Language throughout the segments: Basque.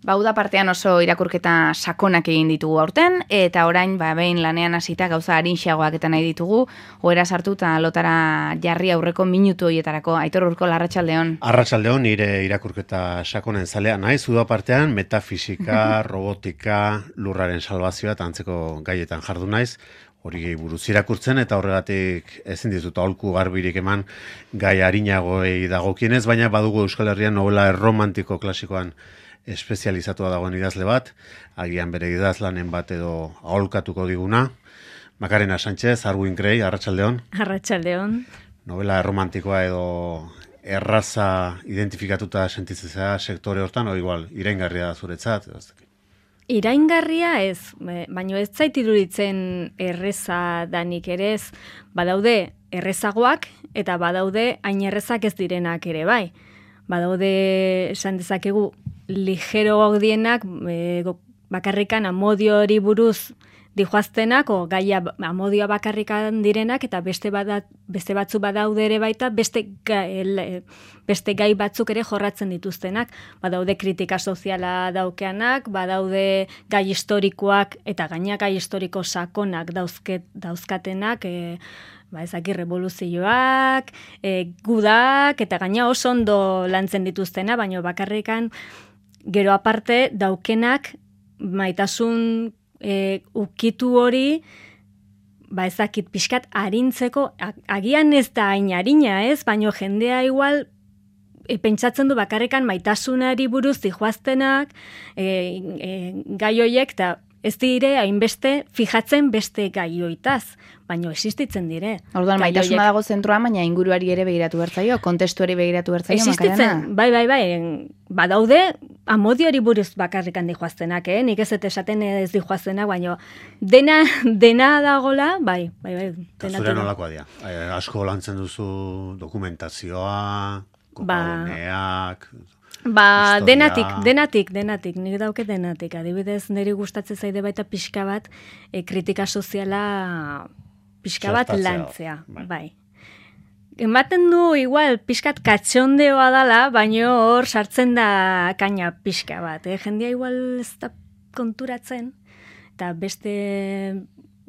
Uda partean oso irakurketa sakonak egin ditugu aurten, eta orain behin lanean hasita gauza arinxagoak eta nahi ditugu, ohera sartu eta lotara jarri aurreko minutu horietarako. Aitor Urkola, arratsaldeon. Arratsaldeon, nire irakurketa sakonen zalea naiz, uda partean metafisika, robotika, lurraren salbazioa eta antzeko gaietan jardu naiz. Hori buruz irakurtzen eta horregatik ezin dizut aholku garbirik eman gai arinagoei dagokienez, baina badugu Euskal Herrian novela erromantiko klasikoan espezializatua dagoen idazle bat, agian bere idazlanen bat edo aholkatuko diguna. Macarena Sánchez, Arwin Grey, arratsaldeon. Arratsaldeon. Novela erromantikoa edo erraza identifikatuta sentitzea sektore hortan, o igual, iraingarria da zuretzat? Iraingarria ez, baina ez zait iruditzen erreza danik ere ez, badaude errezagoak eta badaude hain errezak ez direnak ere bai. Badaude esan dezakegu ligero gaudienak bakarrikan amodio hori buruz dijoaztenak, o gaia amodioa bakarrikan direnak, eta beste batzu badaude ere baita, beste gai batzuk ere jorratzen dituztenak. Badaude kritika soziala daukeanak, badaude gai historikoak, eta gaina gai historiko sakonak dauzkatenak, ezaki revoluzioak, gudak, eta gaina oso ondo lantzen dituztena, baina bakarrikan gero aparte daukenak maitasun ukitu hori, ezakit pixkat arintzeko, agian ez da hain arina ez, baina jendea igual pentsatzen du bakarrikan maitasunari buruz dijoaztenak, gai hoiek, eta ez dire hainbeste fijatzen beste gai hoitaz, baina existitzen dire. Orduan, maitasuna dago zentroan, baina inguruari ere begiratu bertzaio, kontestuari begiratu bertzaio, Macarena? Bai, badaude amodiori buruz bakarrikan dijoaztenak, nik ez esaten ez dijoaztenak, baina dena dagola, bai. Zure nolakoa dira? Asko lantzen duzu dokumentazioa, kopaguneak... Denatik, nik dauke denatik. Adibidez, niri gustatzen zaide baita pixka bat, kritika soziala pixka bat lantzea. Bai. Ematen du, igual, pixkat katxondeoa dala, baino hor sartzen da kaina pixka bat. Jendia igual ez da konturatzen, eta beste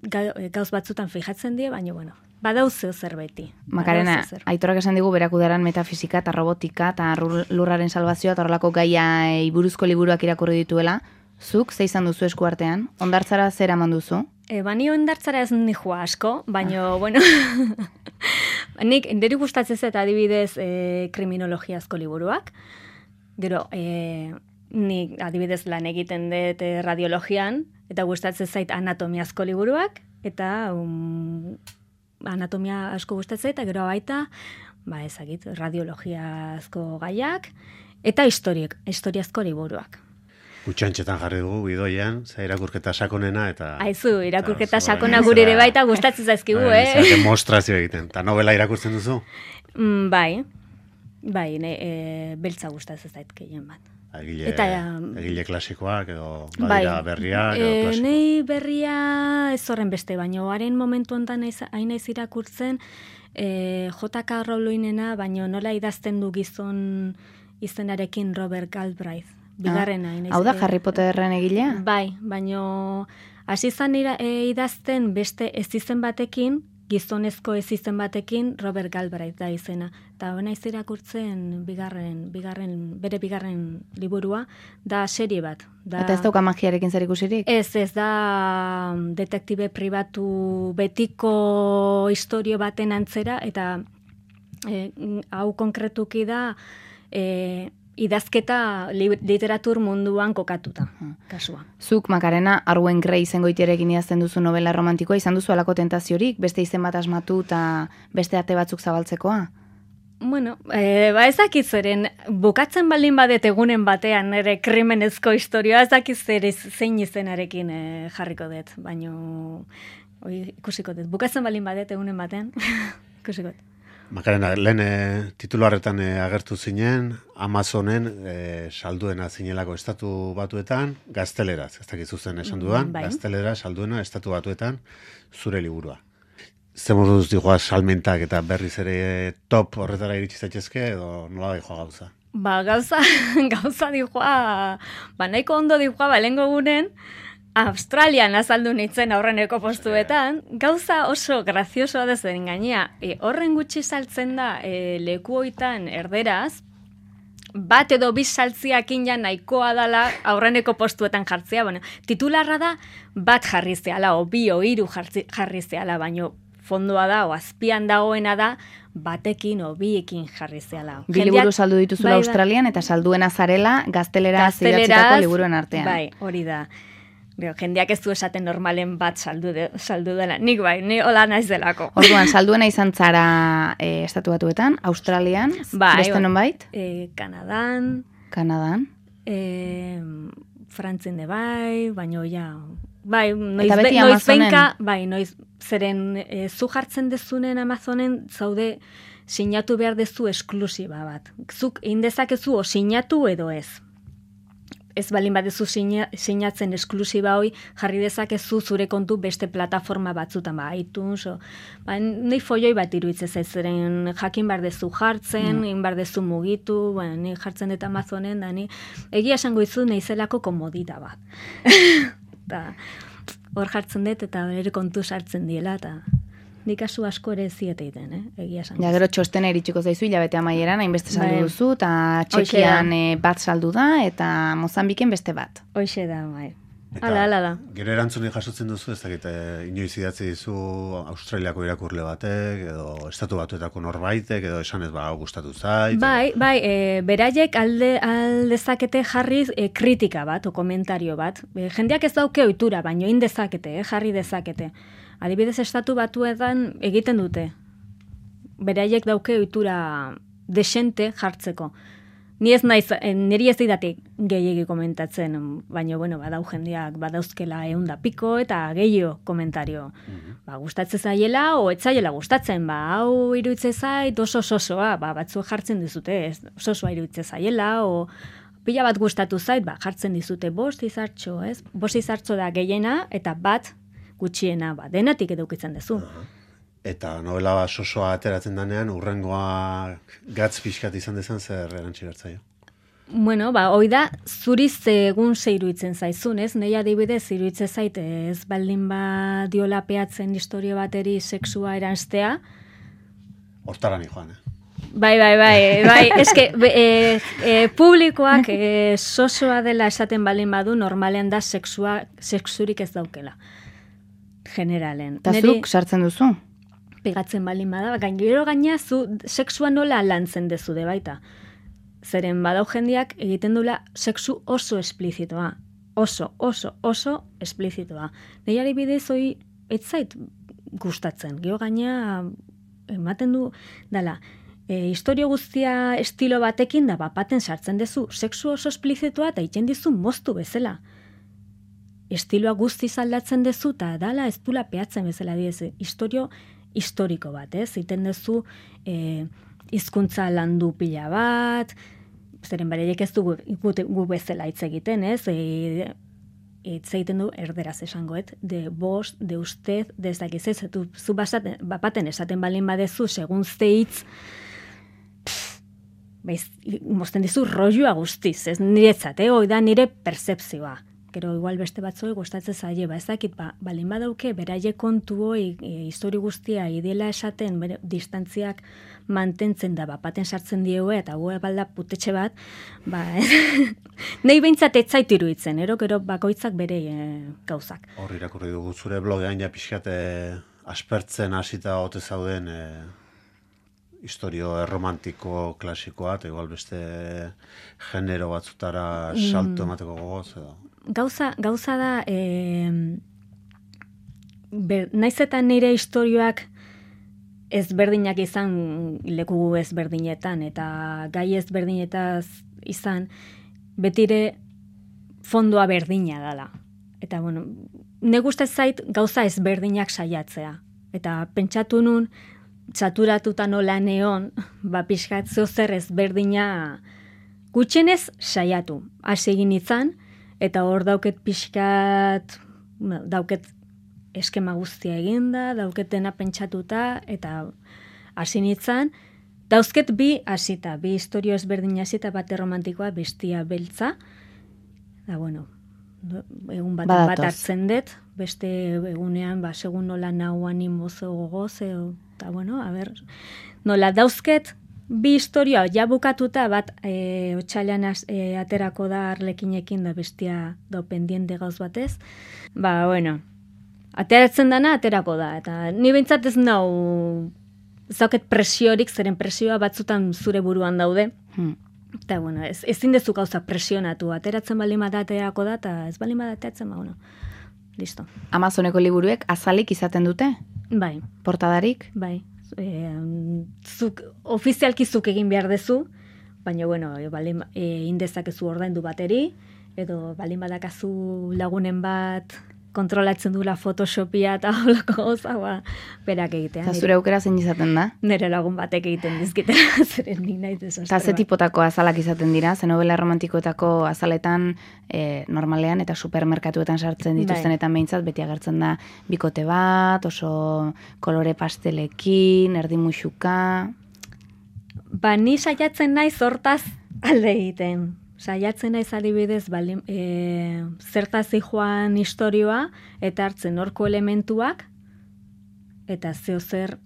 gauz batzutan fijatzen die, baino, bueno, badauzeo zerbeti. Macarena, Aitorak esan digu berak udaran metafisika eta robotika eta lurraren salbazioa eta horrelako gaiai buruzko liburuak irakurri dituela. Zuk, ze izan duzu esku artean? Ondartzara zer eman duzu? Bani ondartzara ez nihua asko, baina, bueno, niri gustatzen zait adibidez kriminologiazko liburuak. Gero, nik adibidez lan egiten dut radiologian, eta gustatzen zait anatomiazko liburuak, eta anatomia asko gustatzen eta gero baita, ezagit, radiologiazko gaiak, eta historiazko liburuak. Gutxantxetan jarri dugu, bidoian, irakurketa sakonena, eta... Aizu, irakurketa sakona gure ere baita gustatzen zaizkigu, demostrazio egiten. Eta novela irakurtzen duzu? Bai, beltza gustatzen zait gehien bat. Egile klasikoak edo badira berriak edo klasikoak? Nei berria ez horren beste, baina haren momentu honetan hain ez irakurtzen J.K. Rowlingena, baina nola idazten du gizon izenarekin Robert Galbraith. Bigarrena. Hau da Harry Potterren egilea? Bai, baina hasi izan idazten beste ez izen batekin, gizonezko ez izen batekin Robert Galbraith da izena. Eta hona iz irakurtzen bere bigarren liburua, da serie bat. Eta ez dauka magiarekin zer ikusirik? Ez da detektibe pribatu betiko historio baten antzera, eta hau konkretuki da idazketa literatur munduan kokatuta, kasua. Zuk, Macarena, Arwen Grey izengoitiarekin idazten duzu novela romantikoa, izan duzu alako tentaziorik, beste izen bat asmatu eta beste ate batzuk zabaltzekoa? Bueno, ezakit zeren, bukatzen baldin badet egunen batean nire krimenezko historioa, ezakit zein izenarekin jarriko dut, baino ikusiko dut. Bukatzen baldin badet egunen batean, ikusiko dut. Macarena, lehen titularretan agertu zinen, Amazonen salduena zinelako estatu batuetan, gazteleraz, ez dakit zuzen esan dudan, gaztelera salduena estatu batuetan, zure liburua. Zer moduz digoa salmentak eta berriz ere top horretara iritsi zaitezke, edo nola da joa gauza? Gauza dijoa, nahiko ondo dijoa, lengo gunen, Australian azaldu nintzen aurreneko postuetan, gauza oso graziosoa dezen gainea, horren gutxi saltzen da leku hoitan erderaz, bat edo bi saltziakin ja nahikoa dala aurreneko postuetan jartzea, titularra da bat jarri zehala, o bi o hiru jarri zehala, baino fondoa da, o azpian dagoena da, batekin o biekin jarri zehala. Bi liburu saldu dituzula Australian, eta salduena zarela gazteleraz idatzitako liburuen artean. Bai, hori da. Jendeak ez du esaten normalen bat saldu dela. Nik bai, ni hola naiz delako. Orduan, salduena izan zara Estatu Batuetan, Australian, beste nonbait? Kanadan. Frantzen de bai, baino ja... Bai, noiz zeren zu jartzen dezunen Amazonen zaude sinatu behar dezu esklusiba bat. Zuk indezakezu o sinatu edo ez. Ez balin badezu sinatzen esklusiba hoi, jarri dezakezu zure kontu beste plataforma batzutan, iTunes, nahi foioi bat iruitze zaitzeren jakin behar dezu jartzen, behar dezu mugitu, ni jartzen dut Amazonen, da ni egia esango izu nahizelako komodita bat. Hor jartzen dut eta bere kontu sartzen diela, eta nik kasu asko ere ziete egiten, egia esan. Ja, gero txostena iritsiko zaizu, hilabete amaieran, hainbeste saldu duzu, eta Txekian bat saldu da, eta Mozambiken beste bat. Hoxe da, bai. Hala da. Gero erantzuni jasotzen duzu, ez dakit, inoiz idatzi dizu Australiako irakurle batek, edo Estatu Batuetako norbaitek, edo esan ez gustatu zait. Bai, beraiek aldezakete jarriz kritika bat, o komentario bat. Jendeak ez dauke ohitura, baino indezakete, jarri dezakete. Adibidez, Estatu Batuetan egiten dute. Beraiek dauke ohitura desente jartzeko. Niri ez didatik gehiegi komentatzen, baina, badau jendeak badauzkela 100 piko eta gehiago komentario. Gustatzen zaiela, o etzaiela gustatzen, hau iruitze zait, oso-osoa, batzu jartzen dizute, oso-osoa iruitze zaiela, o pila bat gustatu zait, jartzen dizute 5 izartxo, ez? 5 izartxo da gehiena, eta bat gutxiena, denatik edukitzen duzu. Eta novela sosoa ateratzen danean, urrengoa gatz pixkat izan dezan zer erantzi bertzaio? Hoi da, zuriz egun ze iruditzen zaizun, ez? Nei adibidez iruditzen zait ez baldin diola peatzen historio bateri sexua eranstea. Hortarani joan, Bai, eske publikoak sosoa dela esaten baldin badu, normalean da sexurik ez daukela. Generalen. Eta zuk sartzen duzu? Pegatzen baldin bada, gero gaina zu sexua nola lantzen dezude baita. Zeren badau jendeak egiten dula sexu oso esplizitoa. Oso esplizitoa. Nei adibidez hoi ez zait gustatzen. Gero gaina ematen du dala. Historio guztia estilo batekin da bapaten sartzen dezu. Sexu oso esplizitoa eta egiten dizu moztu bezala. Estiloa guztiz aldatzen dezu eta dala ez dula peatzen bezala diez. Historiko bat, ez? Iten dezu hizkuntza landu pila bat, zeren beraiek ez du gu bezala hitz egiten, ez? Hitz egiten du erderaz esangoet, de vos, de usted, de ez dakiz ez, zu bapaten esaten balin badezu, segun ze hitz, mozten dizu rolloa guztiz, ez niretzat, hoi da nire percepzioa. Gero igual beste batzoi gustatzen zaie, ez dakit, balin badauke, beraiek kontu hoi, historio guztia idela esaten, distantziak mantentzen da, bapaten sartzen dieue, eta hue balda putetxe bat, nahi behintzat etzait iruditzen, gero bakoitzak bere gauzak. Hor irakurri dugu zure blogean ja pixkat aspertzen hasita ote zauden historio erromantiko klasikoa, eta igual beste genero batzutara salto emateko gogoz, edo? Gauza da, naiz eta nire istorioak ezberdinak izan leku ezberdinetan, eta gai ezberdinetaz izan, betire fondoa berdina dala. Eta, ne gustez zait gauza ezberdinak saiatzea. Eta pentsatu nun, txaturatuta nola neon, pixkatzeo zer ezberdina gutxenez saiatu. Hasi egin izan, eta hor dauket pixkat, dauket eskema guztia eginda, dauketena pentsatuta, eta hasi nintzen, Dauzket bi hasita, bi historio ezberdin hasita, bate romantikoa, bestia beltza. Da, bueno, egun bat hartzen dut, beste egunean, segun nola nau animozo gogoz, eta bueno, nola dauzket, bi historioa ja bukatuta bat otsailean aterako da Arlekinekin da bestia do pendiente gauz batez. Bueno, ateratzen dana aterako da, eta ni behintzat ez nau zauket presiorik, zeren presioa batzutan zure buruan daude. Eta, bueno, ezin dezu gauza presionatu, ateratzen baldin bat aterako da, eta ez baldin bat ateratzen, bueno, listo. Amazoneko liburuek azalik izaten dute? Bai. Portadarik? Bai. Ofizialki zuk egin behar dezu, baina, bueno, indezakezu ordaindu bateri, edo baldin badakazu lagunen bat kontrolatzen dula Photoshopia eta holako gauza, berak egitean. Eta zure aukera zein izaten da? Nire lagun batek egiten dizkitera, zeren nik nahi desastre. Eta ze tipotako azalak izaten dira, ze novela romantikoetako azaletan normalean eta supermerkatuetan sartzen dituztenetan behintzat, beti agertzen da bikote bat, oso kolore pastelekin, erdi muxuka. Ni saiatzen naiz hortaz alde egiten. Saiatzen naiz adibidez zertaz joan istorioa eta hartzen horko elementuak eta zeo zer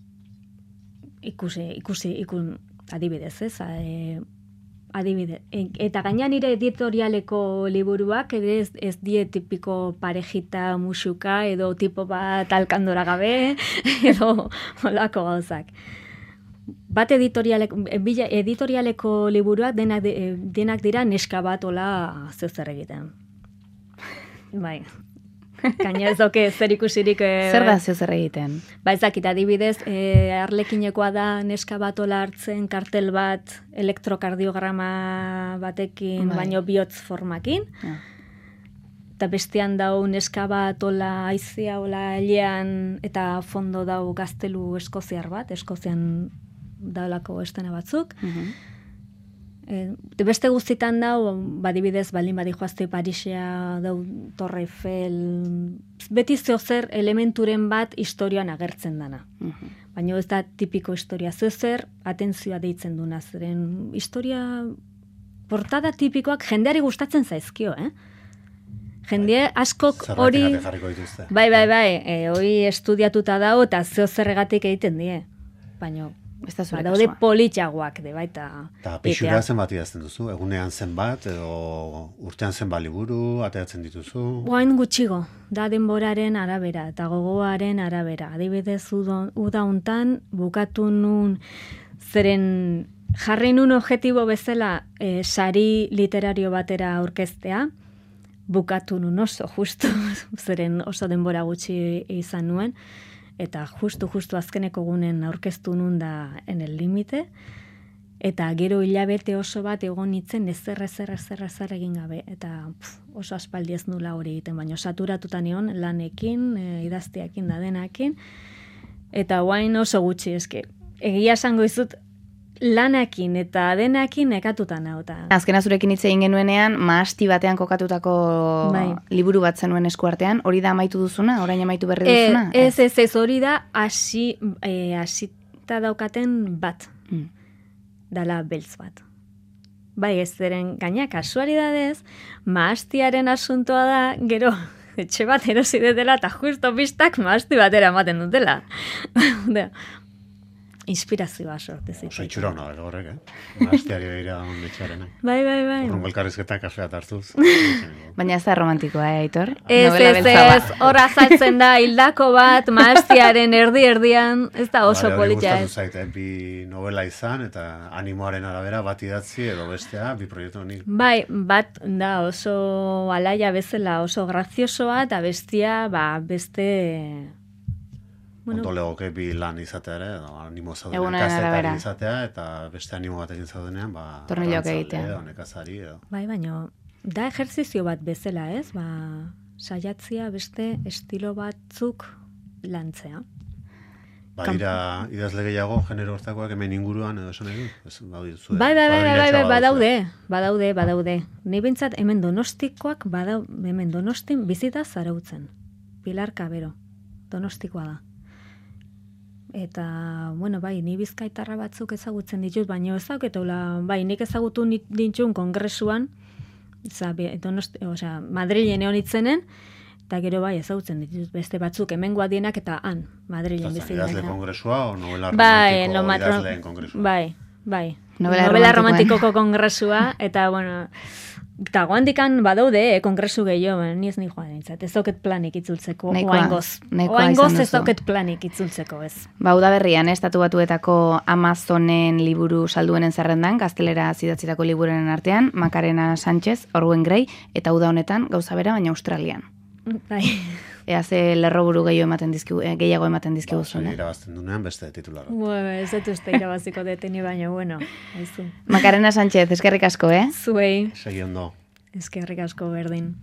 ikusi adibidez, ez? Adibidez. Eta gaina nire editorialeko liburuak ere ez die tipiko parejita musuka edo tipo bat alkandora gabe edo holako gauzak. Bat editorialeko liburuak denak dira neska bat ola zer egiten. Bai. Gaina ez doke zer ikusirik... Zer da zer egiten? Ezakit, adibidez, Arlekinekoa da neska bat ola hartzen kartel bat elektrokardiograma batekin, baino bihotz formakin. Eta bestean dau neska bat ola aizea ola ailean eta fondo dau gaztelu eskoziar bat, Eskozian daulako estena batzuk. Beste guztitan dau, badibidez, baldin badijoazte Parisea, dau Torre Eiffel, beti zeozer elementuren bat historioan agertzen dana. Baina ez da tipiko historia, zeozer atentzioa deitzen duna, zeren historia portada tipikoak jendeari gustatzen zaizkio, Jende askok hori... Bai, hori estudiatuta dago eta zeozerregatik egiten die. Baina... daude politxagoak de baita. Eta pixura zenbat idazten duzu? Egunean zenbat, edo urtean zenbat liburu, ateratzen dituzu? Guain gutxigo, da denboraren arabera, eta gogoaren arabera. Adibidez, uda hontan bukatu nun, zeren jarri nun objetibo bezala sari literario batera aurkeztea, bukatu nun oso, justu, zeren oso denbora gutxi izan nuen, eta justu azkeneko gunen aurkeztu nun da en el límite, eta gero hilabete oso bat egon nitzen ezer egin gabe, eta oso aspaldi ez nula hori egiten, baina saturatuta nion lanekin, idazteakin da denakin, eta guain oso gutxi, eske, egia esango izut, lanakin eta denakin nekatuta nauta. Azkena zurekin hitz egin genuenean, mahasti batean kokatutako liburu bat zenuen eskuartean, hori da amaitu duzuna? Orain amaitu berri duzuna? Ez, hori da hasita daukaten bat. Dala beltz bat. Bai, ez zeren gaina kasualidadez, mahastiaren asuntoa da, gero, etxe bat erosi dela eta justo pistak mahasti batera ematen dutela. Inspirazioa sorte zitzen. Oso itxura hona, horrek, Mahastiari behira etxearenak. Bai. Urrungo elkarrizketak kafeat hartuz. Baina ez da romantikoa, Aitor? Ez, hor azaltzen da, hildako bat, mahastiaren erdian, ez da oso politia ez. Gustatu zait, bi novela izan, eta animoaren arabera bat idatzi, edo bestea, bi proiektu honik. Bai, bat da oso alaia bezala, oso graziosoa, eta bestia, beste... Ondo legoke bi lan izatea ere, animo zaudenean kazetari izatea, eta beste animo batekin zaudenean, tornilloak egitea. Nekazari edo. Bai, baina, da ejerzizio bat bezala, ez? Saiatzia beste estilo batzuk lantzea. Badira idazle gehiago, genero hortakoak hemen inguruan edo esan edo? Bai, badaude. Ni bintzat hemen Donostikoak, hemen Donostin bizita zarautzen. Pilar Cabero, Donostikoa da. Eta, bueno, bai, ni bizkaitarra batzuk ezagutzen ditut, baina ezaguketula, bai, nik ezagutu dintxun kongresuan, Madrilen egon itzenen, eta gero bai ezagutzen ditut beste batzuk hemengoa dienak eta han, Madrilen bizi dira. Idazle kongresua o novela romantiko idazleen kongresua? Bai. Novela romantikoko kongresua, eta, bueno, eta guandikan badaude, kongresu gehiago, ni ez joan nintzat, ez dauket planik itzultzeko, oaingoz ez dauket planik itzultzeko, ez. Udaberrian, Estatu Batuetako Amazonen liburu salduenen zerrendan, gaztelera zidatzitako liburunen artean, Macarena Sánchez, Orwen Grey, eta uda honetan, gauza bera, baina Australian. Bai. Ea ze lerroburu gehiago ematen dizkigu zuen. Irabazten dunean beste titularra. Ez dut uste irabaziko deteni baina, bueno. Macarena Sánchez, eskerrik asko, Zuei. Segi ondo. Eskerrik asko berdin.